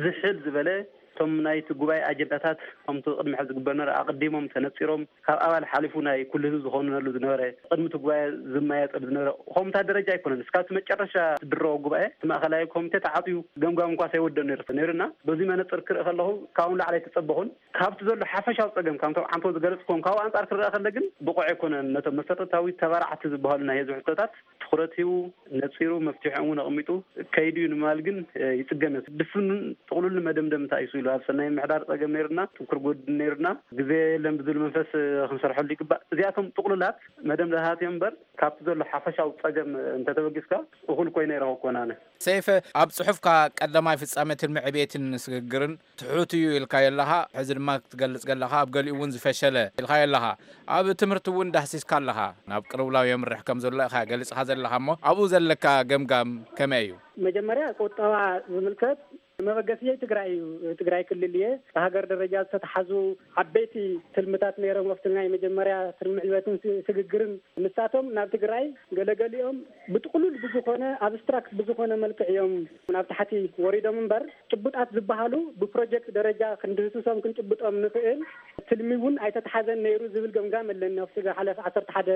ዝሕል ዝበለ፣ እቶም ናይቲ ጉባኤ ኣጀንዳታት ከምቲ ቅድሚ ሕዚ ዝግበር ነበረ ኣቐዲሞም ተነጺሮም፣ ካብ ኣባል ሓሊፉ ናይ ኩሉ ህዝቢ ዝኾነሉ ዝነበረ፣ ቅድሚ እቲ ጉባኤ ዝመያየጠሉ ዝነበረ፣ ከምታ ደረጃ ኣይኮነን። እስካብ እቲ መጨረሻ ዝድረቦ ጉባኤ፣ እቲ ማእኸላይ ኮሚቴ ተዓፅዩ ገምጋም እንኳ ሳይወደእ ነይሩ፣ ነይሩና። በዚ መነፅር ክርኢ ከለኹ፣ ካብኡ ንላዕሊ ኣይተፀበኹን። ካብቲ ዘሎ ሓፈሻዊ ፀገም፣ ካብቶም ዓንቶ ዝገለፅኩዎም፣ ካብኡ ኣንፃር ክረኣ ከለ ግን፣ ብቑዕ ኣይኮነን። ነቶም መሰረታዊ ተባራዕቲ ዝበሃሉ ናይ ህዝቢ ሕቶታት ትኹረት ሂቡ፣ ነፂሩ፣ መፍትሒኦም እውን ኣቐሚጡ ከይዱ እዩ ንምባል ግን፣ እ፣ ይፅገም እዩ። ድፍኑን ጥቕሉልን መደምደምታ እዩ ስኢሉ። ኣብ ሰናይ ምሕዳር ፀገም ነይሩና፣ ጥንኩር ጎድኒ ነይሩና፣ ግዜ የለን ብዝብል መንፈስ፣ እ፣ ክንሰርሐሉ ይግባእ። እዚኣቶም ጥቕሉላት መደምደምታት እዮም እምበር፣ ካብቲ ዘሎ ሓፈሻዊ ፀገም፣ እ፣ እንተተበጊስካ፣ እኹል ኮይኑ ኣይረኸብኩዎን ኣነ። ሰይፈ፣ ኣብ ጽሑፍካ ቀዳማይ ፍጻመ ትልሚ ዕቤትን ስግግርን ትሑት እዩ ኢልካዮ ኣለኻ። ሕዚ ድማ ክትገልጽ ከለኻ ኣብ ገሊኡ እውን ዝፈሸለ ኢልካዮ ኣለኻ። ኣብ ትምህርቲ እውን ዳህሲስካ ኣለኻ። ናብ ቅልውላው የምርሕ ከም ዘሎ ኢኻ ገሊጽኻ ዘለኻ እሞ ኣብኡ ዘለካ ገምጋም ከመይ እዩ? መጀመርያ ቁጠባ ዝምልከት መበገስየይ ትግራይ እዩ። ትግራይ ክልል እየ። ብሃገር ደረጃ ዝተተሓዙ ዓበይቲ ትልምታት ነይሮም። ኣብቲ ናይ መጀመርያ ትልሚ ዕቤትን ስ-፣ ስግግርን ንሳቶም ናብ ትግራይ ገለገሊኦም ብጥቕሉል ብዝኾነ ኣብስትራክት ብዝኾነ መልክዕ እዮም ናብ ታሕቲ ወሪዶም እምበር፣ ጭቡጣት ዝበሃሉ ብፕሮጀክት ደረጃ ክንድህስሶም ክንጭብጦም ንኽእል ትልሚ እውን ኣይተተሓዘን ነይሩ ዝብል ገምጋም ኣለኒ። ኣብቲ ዝሓለፈ ዓሰርተ ሓደ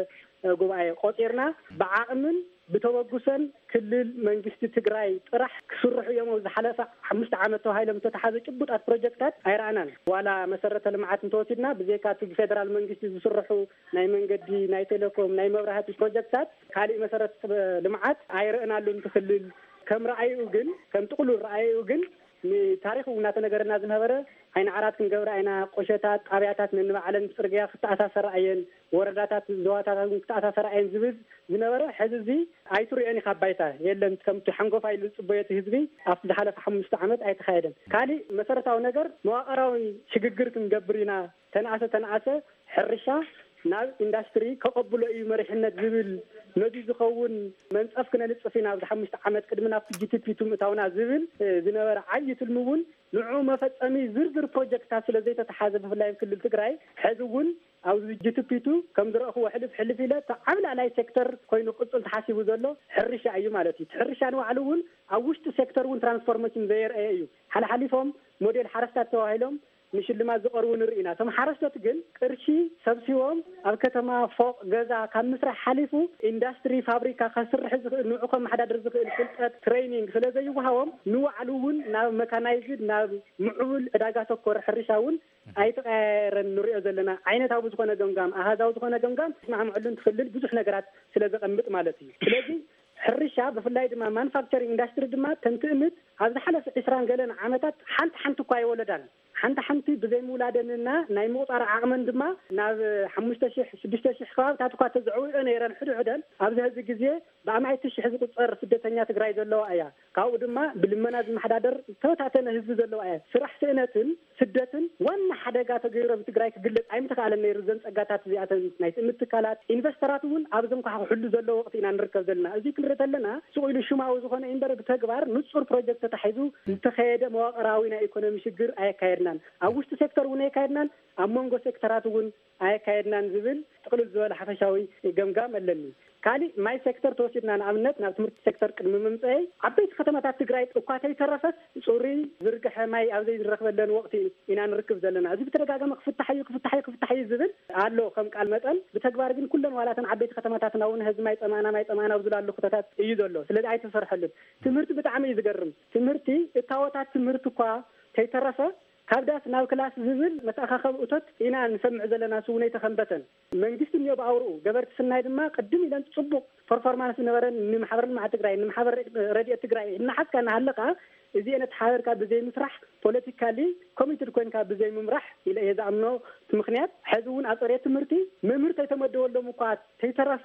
ጉባኤ ቆፂርና ብዓቕምን ብተበግሶን ክልል መንግስቲ ትግራይ ጥራሕ ክስርሑ እዮም። ኣብ ዝሓለፈ ሓሙሽተ ዓመት ተባሂሎም ዝተተሓዘ ጭቡጣት ፕሮጀክታት ኣይረኣናን። ዋላ መሰረተ ልምዓት እንተወሲድና ብዘይካ እቲ ብፌደራል መንግስቲ ዝስርሑ ናይ መንገዲ፣ ናይ ቴሌኮም፣ ናይ መብራህቲ ፕሮጀክታት፣ ካሊእ መሰረተ ልምዓት ኣይረእናሉን። እቲ ክልል ከም ረኣይኡ ግን፣ ከም ጥቕሉል ረኣይኡ ግን፣ ንታሪኽ እውን እናተነገረና ዝነበረ፣ ዓይኒ ዓራት ክንገብራ ኢና፣ ቆሸታት፣ ጣብያታት ነንባዕለን ብፅርግያ ክተኣሳሰራ እየን፣ ወረዳታት፣ ዞባታት እውን ክተኣሳሰራ እየን ዝብል ዝነበረ፣ ሕዚ እዚ ኣይትሪኦን ኢኻ ኣብ ባይታ፣ የለን። ከምቲ ሓንጎፋይ ኢሉ ዝፅበዮ እቲ ህዝቢ ኣብቲ ዝሓለፈ ሓሙሽተ ዓመት ኣይተኻየደን። ካሊእ መሰረታዊ ነገር መዋቕራዊ ሽግግር ክንገብር ኢና፣ ተነኣሰ ተነኣሰ ሕርሻ ናብ ኢንዳስትሪ ከቐብሎ እዩ መሪሕነት ዝብል ነዚ ዝኸውን መንፀፍ ክነንፅፍ ኢና ኣብዚ ሓሙሽተ ዓመት ቅድሚ ናብቲ ጂ ቲ ፒ ቱ ምእታውና ዝብል፣ እ፣ ዝነበረ ዓብዪ ትልሚ እውን ንዕኡ መፈፀሚ ዝርዝር ፕሮጀክትታት ስለ ዘይተተሓዘ ብፍላይ ኣብ ክልል ትግራይ ሕዚ እውን ኣብዚ ጂ ቲ ፒ ቱ ከም ዝረእኽዎ ሕልፍ ሕልፍ ኢለ እቲ ዓብላላይ ሴክተር ኮይኑ ክቕፅል ተሓሲቡ ዘሎ ሕርሻ እዩ ማለት እዩ። እቲ ሕርሻ ንባዕሉ እውን ኣብ ውሽጢ ሴክተር እውን ትራንስፎርሜሽን ዘየርአየ እዩ። ሓለሓሊፎም ሞዴል ሓረስታት ተባሂሎም ንሽልማት ዝቐርቡ ንርኢ ኢና። እቶም ሓረስቶት ግን ቅርሺ ሰብሲቦም ኣብ ከተማ ፎቕ ገዛ ካብ ምስራሕ ሓሊፉ ኢንዳስትሪ ፋብሪካ ከስርሕ ዝኽእል ንዕኡ ከመሓዳድር ዝኽእል ፍልጠት ትሬይኒንግ ስለ ዘይወሃቦም ንባዕሉ እውን ናብ መካናይዝድ ናብ ምዕቡል ዕዳጋ ተኮር ሕርሻ እውን ኣይተቐያየረን ንሪኦ ዘለና። ዓይነታዊ ዝኾነ ገምጋም ኣሃዛዊ ዝኾነ ገምጋም ተስማዕምዐሉን ትኽልል ብዙሕ ነገራት ስለ ዘቐምጥ ማለት እዩ። ስለዚ ሕርሻ ብፍላይ ድማ ማኑፋክቸሪንግ ኢንዳስትሪ ድማ ከም ትእምት ኣብ ዝሓለፈ ዕስራን ገለን ዓመታት ሓንቲ ሓንቲ እኳ ኣይወለዳን። ሓንቲ ሓንቲ ብዘይምውላደንና ናይ ምቑፃር ዓቕመን ድማ ናብ ሓሙሽተ ሽሕ ሽዱሽተ ሽሕ ከባብታት እኳ ተዘዕውኦ ነይረን ሕድሕደን ኣብዚ ሕዚ ግዜ ብኣማኢቲ ሽሕ ዝቁፀር ስደተኛ ትግራይ ዘለዋ እያ። ካብኡ ድማ ብልመና ዝመሓዳደር ዝተበታተነ ህዝቢ ዘለዋ እያ። ስራሕ ስእነትን ስደትን ዋና ሓደጋ ተገይሩ ኣብ ትግራይ ክግለፅ ኣይምተኻእለን ነይሩ። እዘን ፀጋታት እዚኣተን ናይ ትእምት ትካላት ኢንቨስተራት እውን ኣብዞም ከዓ ክሕሉ ዘለዎ ወቕቲ ኢና ንርከብ ዘለና። እዚ ክንርኢ ተለና ስቕ ኢሉ ሽማዊ ዝኾነ እዩ እምበር ብተግባር ንጹር ፕሮጀክት ተታሒዙ ዝተኸየደ መዋቕራዊ ናይ ኢኮኖሚ ሽግር ኣየካየድናን። ኣብ ውሽጢ ሴክተር እውን ኣየካየድናን፣ ኣብ መንጎ ሴክተራት እውን ኣየካየድናን ዝብል ጥቕልል ዝበለ ሓፈሻዊ ገምጋም ኣለኒ። ካሊእ ማይ ሴክተር ተወሲድና ንኣብነት ናብ ትምህርቲ ሴክተር ቅድሚ ምምፀኤ ዓበይቲ ከተማታት ትግራይ እኳ ተይተረፈት ፅሩይ ዝርግሐ ማይ ኣብ ዘይንረክበለን ወቅቲ ኢና ንርክብ ዘለና። እዚ ብተደጋጋሚ ክፍታሕ እዩ ክፍታሕ እዩ ክፍታሕ እዩ ዝብል ኣሎ ከም ቃል መጠን፣ ብተግባር ግን ኩለን ዋላተን ዓበይቲ ከተማታትና እውን ህዝቢ ማይ ፀማእና ማይ ፀማእና ኣብ ዝላሉ ኩነታት እዩ ዘሎ። ስለዚ ኣይተሰርሐሉን። ትምህርቲ ብጣዕሚ እዩ ዝገርም። ትምህርቲ እታወታት ትምህርቲ እኳ ተይተረፈ ካብ ዳስ ናብ ክላስ ዝብል መተኣኻኸቢ እቶት ኢና ንሰምዕ ዘለና፣ ስውነይ ተኸንበተን። መንግስቲ እኒኦ ብኣውርኡ፣ ገበርቲ ስናይ ድማ ቅድም ኢለን ፅቡቕ ፐርፎርማንስ ዝነበረን ንማሕበር ልምዓት ትግራይ፣ ንማሕበር ረድኤት ትግራይ እናሓዝካ እናሃለኻ እዚኤን ኣተሓባቢርካ ብዘይምስራሕ፣ ፖለቲካሊ ኮሚትድ ኮይንካ ብዘይምምራሕ ኢለ እየ ዝኣምኖ። እቲ ምክንያት ሕዚ እውን ኣብ ፅሬት ትምህርቲ መምህር ተይተመደበሎም እኳ ተይተረፈ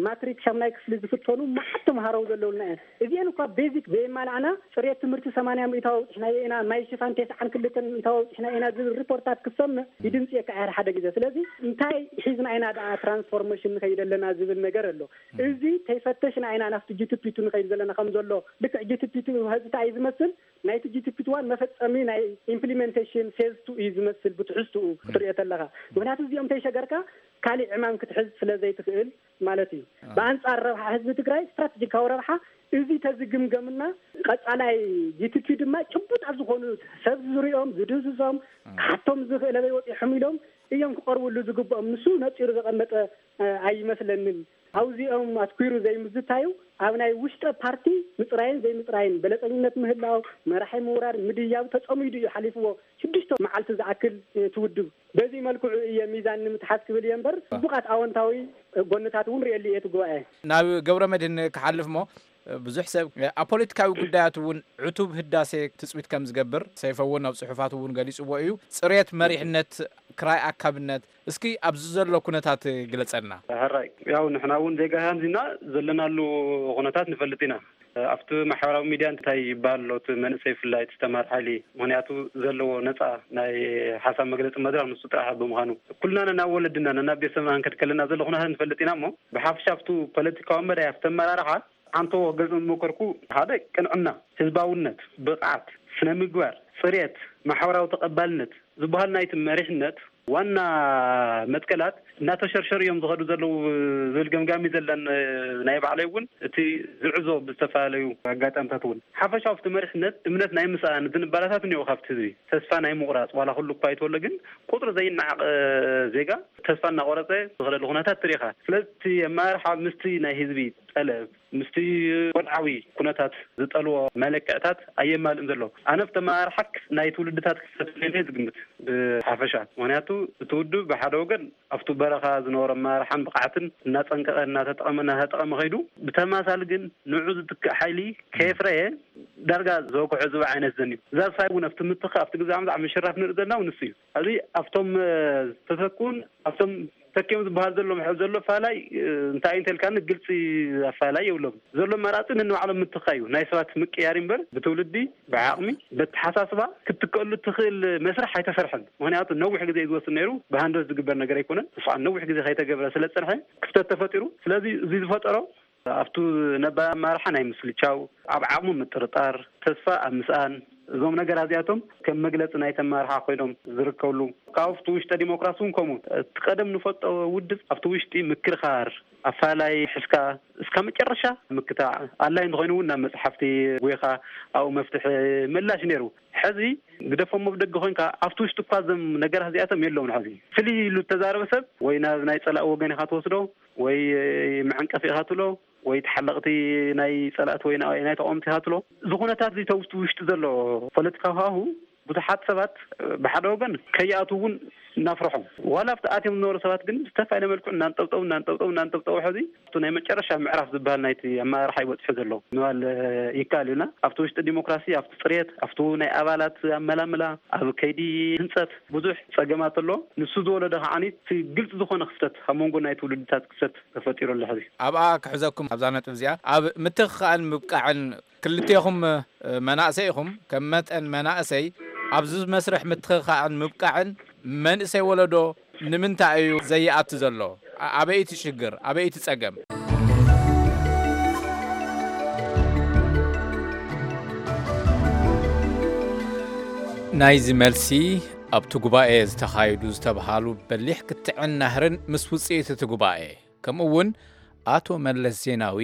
ማትሪክ ሻምናይ ክፍሊ ዝፍተኑ መዓት ተምሃሮ ዘለውልና እየን። እዚኤን እኳ ቤዚክ ዘየማላዕና ፅሬት ትምህርቲ ሰማንያ ሚእታዊ ኣውፅሕናዮ ኢና፣ ማይ ሽፋን ተስዓን ክልተን ሚእታዊ ኣውፅሕናዮ ኢና ዝብል ሪፖርታት ክሰምዕ ይድንፅየካ እየ ሓደ ሓደ ግዜ። ስለዚ እንታይ ሒዝና ኢና ደኣ ትራንስፎርሜሽን ንኸይድ ኣለና ዝብል ነገር ኣሎ። እዚ ተይፈተሽና ኢና ናብቲ ጂ ቲ ፒ ቱ ንኸይድ ዘለና ከም ዘሎ። ልክዕ ጂ ቲ ፒ ቱ ህዝታ እዩ ዝመስል፣ ናይቲ ጂ ቲ ፒ ቱ ዋን መፈጸሚ ናይ ኢምፕሊሜንቴሽን ፌዝ ቱ እዩ ዝመስል ብትሕዝትኡ ክትሪኦ ተለኻ። ምክንያቱ እዚኦም ተይሸገርካ ካሊእ ዕማም ክትሕዝ ስለ ዘይትኽእል ማለት እዩ። ብኣንጻር ረብሓ ህዝቢ ትግራይ ስትራቴጂካዊ ረብሓ እዚ ተዝግምገምና ቀጻላይ ጂ ቲ ፒ ድማ ጭቡጣት ዝኾኑ ሰብ ዝሪኦም ዝድህስሶም ክሓቶም ዝኽእል ኣበይ ወፂሖም ኢሎም እዮም ክቐርብሉ ዝግብኦም። ንሱ ነፂሩ ዘቐመጠ እ፣ ኣይመስለንን። ኣብዚኦም ኣትኲሩ ዘይምዝታዩ ኣብ ናይ ውሽጠ ፓርቲ ምፅራይን ዘይምፅራይን በለፀኝነት ምህላው መራሒ ምውራድ ምድያብ ተፀሚዱ እዩ ሓሊፍዎ። ሽዱሽተ መዓልቲ ዝኣክል እ፣ ትውድብ በዚ መልክዑ እየ ሚዛን ንምትሓዝ ክብል እየ እምበር ፅቡቃት ኣወንታዊ እ፣ ጎንታት እውን ርእየሉ እየ እቲ ጉባኤ። ናብ ገብረ መድህን ክሓልፍ እሞ ብዙሕ ሰብ ኣብ ፖለቲካዊ ጉዳያት እውን ዕቱብ ህዳሴ ትፅቢት ከም ዝገብር ሰይፈ እውን ኣብ ፅሑፋት እውን ገሊፅዎ እዩ። ፅሬት መሪሕነት፣ ክራይ ኣካብነት፣ እስኪ ኣብዚ ዘሎ ኩነታት ግለፀልና። ሕራይ ያው ንሕና እውን ዜጋ ሃንዚና ዘለናሉ ኩነታት ንፈልጥ ኢና። ኣብቲ ማሕበራዊ ሚድያ እንታይ ይበሃል ኣሎ እቲ መንእሰይ ብፍላይ እቲ ዝተማር ሓይሊ? ምክንያቱ ዘለዎ ነፃ ናይ ሓሳብ መግለፂ መድረክ ንሱ ጥራሕ ብምዃኑ ኩልና ነናብ ወለድና ነናብ ቤተሰብና ክንከድ ከለና ዘሎ ኩነታት ንፈልጥ ኢና እሞ ብሓፍሻ ኣብቱ ፖለቲካዊ መዳይ ኣብቲ ኣመራርሓ ኣንተዎ ገጽ መመከርኩ ሓደ ቅንዕና፣ ህዝባውነት፣ ብቕዓት፣ ስነ ምግባር፣ ጽሬት፣ ማሕበራዊ ተቐባልነት ዝበሃል ናይቲ መሪሕነት ዋና መትከላት እናተሸርሸሩ እዮም ዝኸዱ ዘለዉ ዝብል ገምጋሚ ዘለን ናይ ባዕለይ እውን እቲ ዝዕዞ ብዝተፈላለዩ ኣጋጣሚታት እውን ሓፈሻዊ ኣብቲ መሪሕነት እምነት ናይ ምስኣን ዝንባላታት እኒኦ ካብቲ ህዝቢ ተስፋ ናይ ምቑራፅ ዋላ ኩሉ እኳ ይተወለ ግን ቁፅሪ ዘይነዓቕ ዜጋ ተስፋ እናቆረፀ ዝኸደሉ ኩነታት ትሪኢኻ ስለዚ እቲ ኣመራርሓ ምስቲ ናይ ህዝቢ ጠለብ ምስቲ ወድዓዊ ኩነታት ዝጠልዎ መለክዕታት ኣየማልእን ዘሎ። ኣነ ብተመራርሓክ ናይ ትውልድታት ክፍተት የለን ዝግምት ብሓፈሻ። ምክንያቱ እቲ ውድብ ብሓደ ወገን ኣብቱ በረኻ ዝነበሮ ኣመራርሓን ብቕዓትን እናጸንቀቐ እናተጠቐመ እናተጠቐመ ከይዱ ብተማሳሊ ግን ንዑ ዝትክእ ሓይሊ ከየፍረየ ዳርጋ ዘወክዖ ዝብኢ ዓይነት ዘንዩ። እዛ ሳይ እውን ኣብቲ ምትኻእ ኣብቲ ግዜ ኣምዛዕ ምሽራፍ ንርኢ ዘለና እውን ንሱ እዩ። ኣብዚ ኣብቶም ዝተተክኡን ኣብቶም ተኪኦም ዝበሃል ዘሎ ምሕብ ዘሎ ኣፋላይ እንታይ እንተልካኒ ግልፂ ኣፋላይ የብሎም ዘሎ መራፂ ነንባዕሎም ምትኻ እዩ ናይ ሰባት ምቅያር እምበር ብትውልዲ ብዓቕሚ በተሓሳስባ ክትትከሉ ትኽእል መስርሕ ኣይተሰርሐን ምክንያቱ ነዊሕ ግዜ እዩ ዝወስድ ነይሩ ብሃንደስ ዝግበር ነገር ኣይኮነን እሱ ከዓ ነዊሕ ግዜ ከይተገብረ ስለ ዝፀንሐ ክፍተት ተፈጢሩ ስለዚ እዚ ዝፈጠሮ ኣብቱ ነባር ኣመራርሓ ናይ ምስልቻው፣ ኣብ ዓቕሙ ምጥርጣር፣ ተስፋ ኣብ ምስኣን፣ እዞም ነገራት እዚኣቶም ከም መግለፂ ናይቲ ኣመራርሓ ኮይኖም ዝርከብሉ። ካብኡ ኣብቲ ውሽጠ ዲሞክራሲ እውን ከምኡ። እቲ ቀደም ንፈልጦ ውድብ ኣብቲ ውሽጢ ምክርኻር፣ ኣፋላይ ሒዝካ እስካብ መጨረሻ ምክታዕ፣ ኣድላይ እንተኾይኑ እውን ናብ መፅሓፍቲ ጎይኻ ኣብኡ መፍትሒ ምላሽ ነይሩ። ሕዚ ግደፎሞ ብደገ ኮይንካ ኣብቲ ውሽጢ እኳ እዞም ነገራት እዚኣቶም የለውን። ሕዚ ፍልይ ኢሉ እተዛረበ ሰብ ወይ ናብ ናይ ፀላኢ ወገን ኢኻ ትወስዶ ወይ መዐንቀፊ ኢኻ ትብሎ ወይ ተሓለቕቲ ናይ ፀላእቲ ወይ ናይ ተቃወምቲ ኢኻ ትብሎ። እዚ ኩነታት እዚ ተውስቲ ውሽጢ ዘሎ ፖለቲካዊ ሃዋሁ ብዙሓት ሰባት ብሓደ ወገን ከይኣትዉ እውን እናፍርሖም ዋላ ኣብቲ ኣትዮም ዝነበሩ ሰባት ግን ብዝተፈላለየ መልክዑ እናንጠብጠቡ እናንጠብጠቡ እናንጠብጠቡ ሕዚ ኣብቲ ናይ መጨረሻ ምዕራፍ ዝበሃል ናይቲ ኣመራርሓ ይበፅሑ ዘሎ ምባል ይከኣል እዩና ኣብቲ ውሽጢ ዲሞክራሲ ኣብቲ ፅሬት ኣብቲ ናይ ኣባላት ኣመላምላ ኣብ ከይዲ ህንፀት ብዙሕ ፀገማት ኣሎ። ንሱ ዝወለዶ ከዓኒ እቲ ግልፂ ዝኾነ ክፍተት ኣብ መንጎ ናይ ትውልድታት ክፍተት ተፈጢሩ ኣሎ ሕዚ። ኣብኣ ክሕዘኩም ኣብዛ ነጥብ እዚኣ ኣብ ምትኽኻእን ምብቃዕን ክልቴኹም መናእሰይ ኢኹም። ከም መጠን መናእሰይ ኣብዚ መስርሕ ምትኽኻእን ምብቃዕን መንእሰይ ወለዶ ንምንታይ እዩ ዘይኣቱ ዘሎ? ኣበይቲ ሽግር ኣበይቲ ፀገም? ናይዚ መልሲ ኣብቲ ጉባኤ ዝተኻየዱ ዝተብሃሉ በሊሕ ክትዕን ናህርን ምስ ውጽኢት እቲ ጉባኤ፣ ከምኡ እውን ኣቶ መለስ ዜናዊ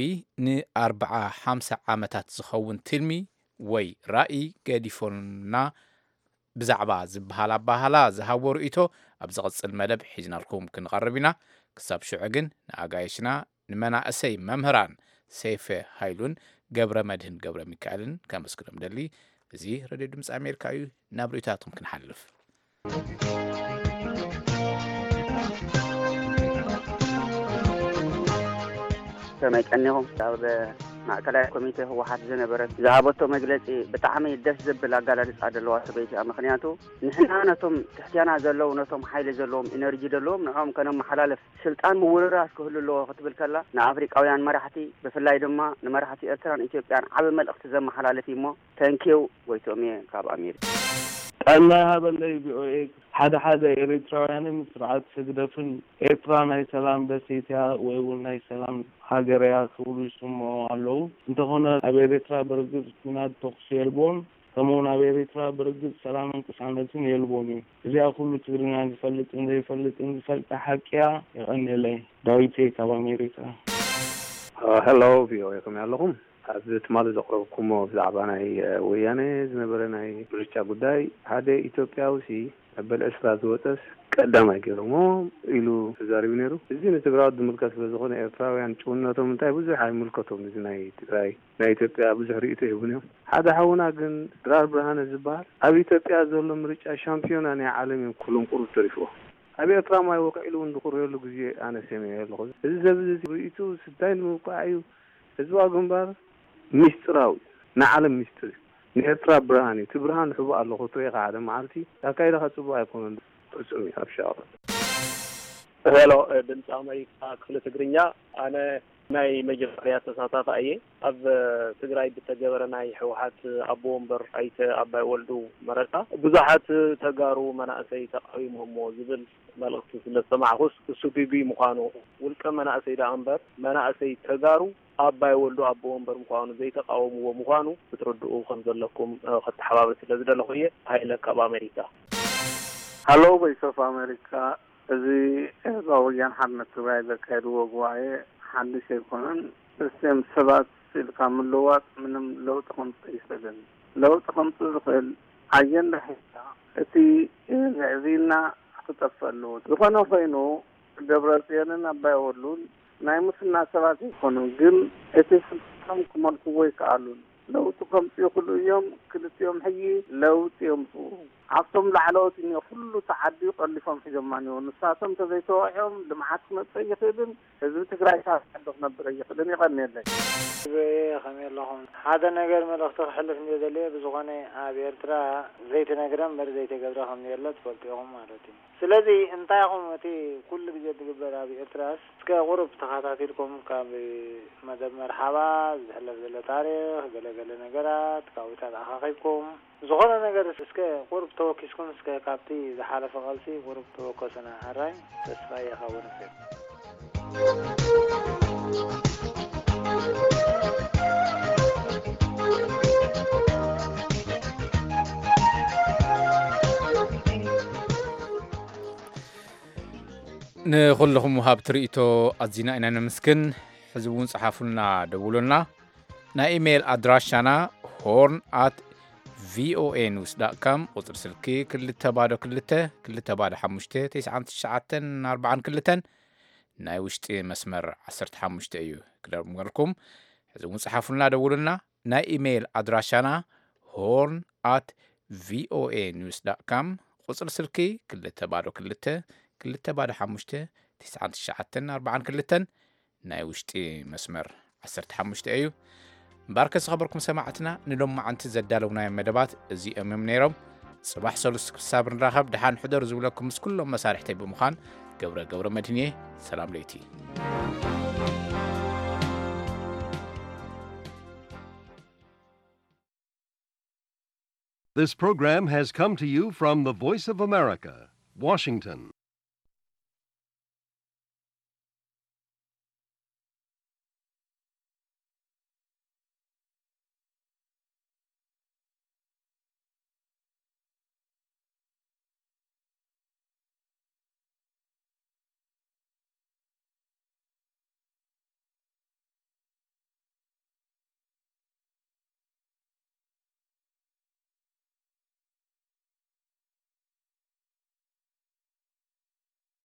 ንኣርብዓ ሓምሳ ዓመታት ዝኸውን ትልሚ ወይ ራእይ ገዲፎልና ብዛዕባ ዝበሃል ኣባህላ ዝሃቦ ርእይቶ ኣብ ዝቕጽል መደብ ሒዝናልኩም ክንቐርብ ኢና። ክሳብ ሽዑ ግን ንኣጋይሽና ንመናእሰይ መምህራን ሰይፈ ሃይሉን ገብረ መድህን ገብረ ሚካኤልን ከመስግኖም ደሊ። እዚ ሬድዮ ድምፂ ኣሜሪካ እዩ። ናብ ርእይቶታትኩም ክንሓልፍ። ከመይ ቀኒኹም? ኣብ ማእከላይ ኮሚቴ ህወሓት ዝነበረት ዝሃበቶ መግለፂ ብጣዕሚ ደስ ዘብል ኣገላልፃ ዘለዋ ሰበይቲ እያ። ምክንያቱ ንሕና ነቶም ትሕትና ዘለዉ ነቶም ሓይሊ ዘለዎም ኢነርጂ ዘለዎም ንዕኦም ከነመሓላልፍ ስልጣን ምውርራስ ክህሉ ኣለዎ ክትብል ከላ ንኣፍሪቃውያን መራሕቲ ብፍላይ ድማ ንመራሕቲ ኤርትራን ኢትዮጵያን ዓቢ መልእኽቲ ዘመሓላልፍ እዩ እሞ ተንኪው ጎይቶም እየ ካብ ኣሜሪካ። ጥዕና ይሃበለይ ቪኦኤ። ሓደ ሓደ ኤሪትራውያንን ስርዓት ህግደፍን ኤርትራ ናይ ሰላም ደሴት እያ ወይ እውን ናይ ሰላም ሃገር እያ ክብሉ ይስምዑ ኣለዉ። እንተኾነ ኣብ ኤሪትራ ብርግጽ ኲናት ተኹሲ የልቦን፣ ከምኡውን ኣብ ኤሪትራ ብርግጽ ሰላምን ቅሳነትን የልቦን እዩ። እዚኣ ኩሉ ትግርኛ ዝፈልጥን ዘይፈልጥን ዝፈልጣ ሓቂ እያ። የቐንየለይ። ዳዊት እየ ካብ ኣሜሪካ። ሄሎ ቪኦኤ፣ ከመይ ኣለኹም? ኣብዚ ትማሊ ዘቕረብኩሞ ብዛዕባ ናይ ወያነ ዝነበረ ናይ ምርጫ ጉዳይ ሓደ ኢትዮጵያዊ ሲ መበል ዕስራ ዝወፀስ ቀዳማይ ገይሮሞ ኢሉ ተዛሪቡ ነይሩ። እዚ ንትግራዎት ዝምልከት ስለ ዝኾነ ኤርትራውያን ጭውነቶም እንታይ ብዙሕ ኣይምልከቶም። እዚ ናይ ትግራይ ናይ ኢትዮጵያ ብዙሕ ርእይቶ ይህቡን እዮም። ሓደ ሓውና ግን ድራር ብርሃነ ዝበሃል ኣብ ኢትዮጵያ ዘሎ ምርጫ ሻምፒዮና ናይ ዓለም እዮም ኩሎም ቁሩብ ተሪፍዎ። ኣብ ኤርትራ ማይ ወቅዒሉ እውን ዝኩርየሉ ግዜ ኣነ ሰሚዐ ኣለኹ። እዚ ሰብ እዚ ርእይቱ ስታይ ንምውቃዕ እዩ። ህዝባዊ ግንባር ሚስጥራዊ እዩ። ንዓለም ሚስጥር እዩ። ንኤርትራ ብርሃን እዩ። እቲ ብርሃን ንሕቡ ኣለኹ ትሪኢኻ ሓደ መዓልቲ ኣካይዳኻ ጽቡቕ ኣይኮነን። ፍጹም እዩ ኣብ ሻቕሎት። ሄሎ ድምፂ ኣሜሪካ ክፍሊ ትግርኛ፣ ኣነ ናይ መጀመርያ ተሳታፊ እየ። ኣብ ትግራይ ብተገበረ ናይ ህወሓት ኣቦ ወንበር ኣይተ ኣባይ ወልዱ መረፃ ብዙሓት ተጋሩ መናእሰይ ተቃዊሞሞ ዝብል መልእኽቲ ስለ ዝሰማዕኹስ እሱ ግጉይ ምዃኑ፣ ውልቀ መናእሰይ ደኣ እምበር መናእሰይ ተጋሩ ኣባይ ወልዱ ኣቦ ወንበር ምዃኑ ዘይተቃወምዎ ምዃኑ ክትርድኡ ከም ዘለኩም ከተሓባብር ስለ ዝደለኹ እየ። ሃይለ ካብ ኣሜሪካ። ሃሎ ቮይስ ኦፍ ኣሜሪካ፣ እዚ ህዝባዊ ወያነ ሓርነት ትግራይ ዘካየድዎ ጉባኤ ሓድሽ ኣይኮነን። እዚኦም ሰባት ኢልካ ምልዋጥ ምንም ለውጢ ከምፅእ ይኽእልን። ለውጢ ከምፅእ ዝኽእል ኣጀንዳ ሒዝካ እቲ ምዕዚና ክጠፍእ ኣለዎ። ዝኾነ ኮይኑ ደብረፅዮንን ኣባይ ወሉን ናይ ሙስና ሰባት ኣይኮኑን፣ ግን እቲ ስልጣኖም ክመልክዎ ይከኣሉን። ለውጢ ከምፅኡ ይኽእሉ እዮም። ክልቲኦም ሕጂ ለውጢ የምፅኡ። ኣብቶም ላዕለዎት እኒኦ ኩሉ ተዓዲዩ ቆሊፎም ሒዞማ እኒኦ። ንሳቶም እንተዘይተወቂዖም ልምዓት ክመፅእ ኣይኽእልን። ህዝቢ ትግራይ ካብ ዓዲ ክነብር ኣይኽእልን። የቐንየለይ። ከመይ ኣለኹም? ሓደ ነገር መልእኽቲ ክሕልፍ እንድየ ደልየ። ብዝኾነ ኣብ ኤርትራ ዘይተነግረ እምበር ዘይተገብረ ከም ዘየለ ትፈልጡ ኢኹም ማለት እዩ። ስለዚ እንታይ ኢኹም እቲ ኩሉ ግዜ ዝግበር ኣብ ኤርትራስ እስከ ቁሩብ ተኸታቲልኩም ካብ መደብ መርሓባ ዝሕለፍ ዘሎ ታሪኽ ገለ ገለ ነገራት ካብኡታት ኣኻኺብኩም ዝኾነ ነገር እስከ ቁሩብ ተወኪስኩም እስከ ካብቲ ዝሓለፈ ቃልሲ ቁሩብ ተወከሱና። ሕራይ ተስፋ ይኸውን። ንኹልኹም ወሃብቲ ርእይቶ ኣዚና ኢና ነመስግን። ሕዚ እውን ጸሓፉልና፣ ደውሉልና። ናይ ኢሜይል ኣድራሻና ሆርን ኣት ቪኦኤ ኒውስ ዳት ካም፣ ቁጽሪ ስልኪ ክልተ ባዶ ክልተ ክልተ ባዶ ሓሙሽተ ተስዓን ትሽዓተን ኣርባዓን ክልተን፣ ናይ ውሽጢ መስመር ዓሰርተ ሓሙሽተ እዩ ክደግመልኩም። ሕዚ እውን ጸሓፉልና፣ ደውሉልና። ናይ ኢሜይል ኣድራሻና ሆርን ኣት ቪኦኤ ኒውስ ዳት ካም፣ ቁጽሪ ስልኪ ክልተ ባዶ ክልተ ክልተ ባዶ ሓሙሽተ ተስዓን ትሽዓተን ኣርባዓን ክልተን፣ ናይ ውሽጢ መስመር ዓሰርተ ሓሙሽተ እዩ። እምበኣርከ ዝኸበርኩም ሰማዕትና፣ ንሎማዓንቲ ዘዳለውናዮም መደባት እዚኦም እዮም ነይሮም። ጽባሕ ሰሉስ ክሳብ ንራኸብ ደሓን ሕደሩ ዝብለኩም ምስ ኩሎም መሳርሕተይ ብምዃን ገብረ ገብረ መድህን እየ። ሰላም ለይቲ። This program has come to you from the Voice of America, Washington.